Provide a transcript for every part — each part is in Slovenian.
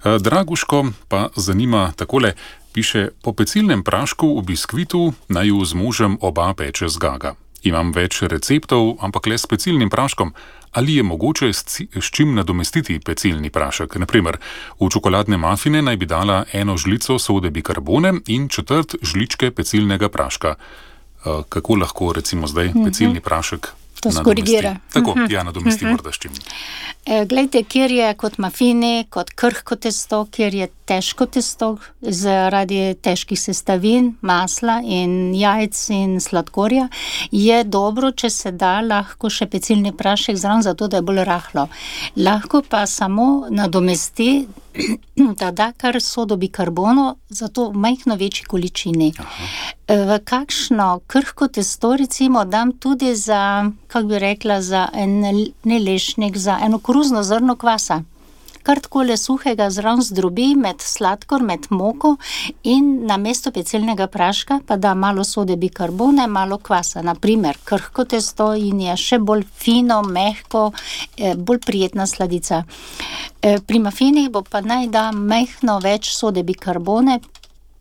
Draguško pa zanima takole, piše, po pecilnem prašku v biskvitu naju z možem oba peče zgaga. Imam več receptov, ampak le s pecilnim praškom. Ali je mogoče s čim nadomestiti pecilni prašek? Naprimer, v čokoladne mafine naj bi dala 1 žlico sode bikarbone in 1/4 žličke pecilnega praška. Kako lahko recimo zdaj pecilni prašek to skorigira? Tako, ja, nadomesti morda s čim. Glejte, kjer je kot mafini, kot krhko testo, kjer je težko testo zaradi težkih sestavin, masla in jajc in sladkorja, je dobro, če se da lahko še pecilni prašek zraven, zato da je bolj rahlo. Lahko pa samo nadomesti, da da kar sodo bikarbono, zato v majhno večji količini. V kakšno krhko testo recimo dam tudi za, kako bi rekla, za ne lešnik, za eno koruzno zrno kvasa. Kar takole suhega zraven zdrobi med sladkor, med moko in namesto pecilnega praška pa da malo sode bikarbone, malo kvasa. Naprimer, krhko testo in je še bolj fino, mehko, bolj prijetna sladica. Pri mafinih bo pa naj da majhno več sode bikarbone,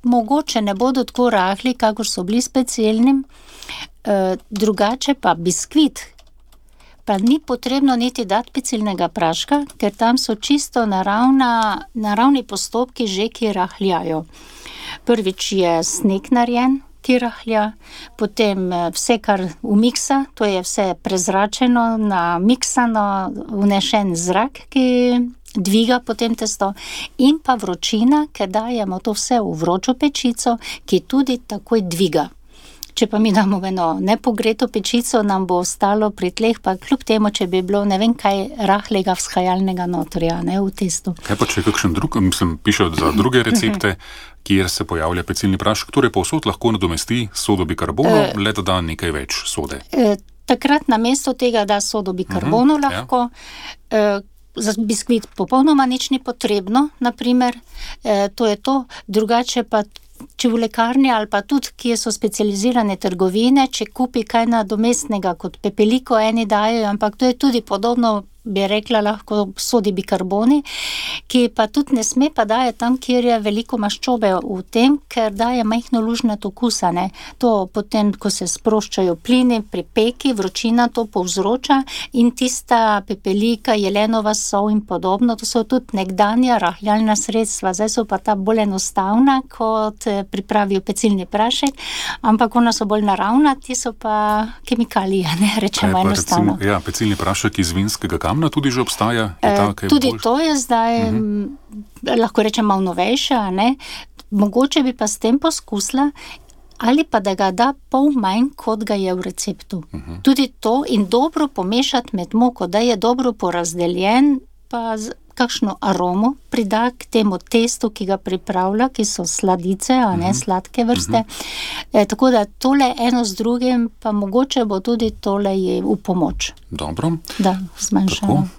mogoče ne bodo tako rahli, kakor so bili s pecilnim, drugače pa biskvit, pa ni potrebno niti dati pecilnega praška, ker tam so čisto naravni postopki že, ki rahljajo. Prvič je sneg narejen, ki rahlja, potem vse, kar umiksa, to je vse prezračeno, namiksano, vnešen zrak, ki dviga potem testo, in pa vročina, ker dajemo to vse v vročo pečico, ki tudi takoj dviga. Če pa mi damo eno nepogreto pečico, nam bo ostalo pri tleh, pa kljub temu, če bi bilo ne vem kaj rahlega vzhajalnega notrja, ne, v testu. Kaj pa če kakšen drug, piše za druge recepte, kjer se pojavlja pecilni prašek, torej povsod lahko nadomesti sodo bikarbono, le da da nekaj več sode. Takrat namesto tega da sodo bikarbono lahko, za biskvit popolnoma nič ni potrebno, naprimer, to je to, drugače pa če v lekarni ali pa tudi, kje so specializirane trgovine, če kupi kaj nadomestnega kot pepeliko, eni dajo, ampak to je tudi podobno, bi rekla, lahko sodi bikarboni, ki pa tudi ne sme pa daje tam, kjer je veliko maščobe v tem, ker daje majhno lužnato okusa, ne. To potem, ko se sproščajo plini pri peki, vročina to povzroča in tista pepelika, jelenova sol in podobno, to so tudi nekdanja rahljalna sredstva, zdaj so pa ta bolj enostavna, kot pripravijo pecilni prašek, ampak ona so bolj naravna, ti so pa kemikalije, ne, rečemo enostavno. Recimo, ja, pecilni prašek iz vinskega kamna tudi že obstaja? Tudi to je zdaj, lahko rečem, malo novejša, ne? Mogoče bi pa s tem poskusila, ali pa da ga da pol manj, kot ga je v receptu. Tudi to in dobro pomešati med moko, da je dobro porazdeljen, pa kakšno aromo prida k temu testu, ki ga pripravlja, ki so sladice, a ne, sladke vrste. Tako da tole eno z drugim, pa mogoče bo tudi tole je v pomoč. Dobro. Da, zmanjšamo.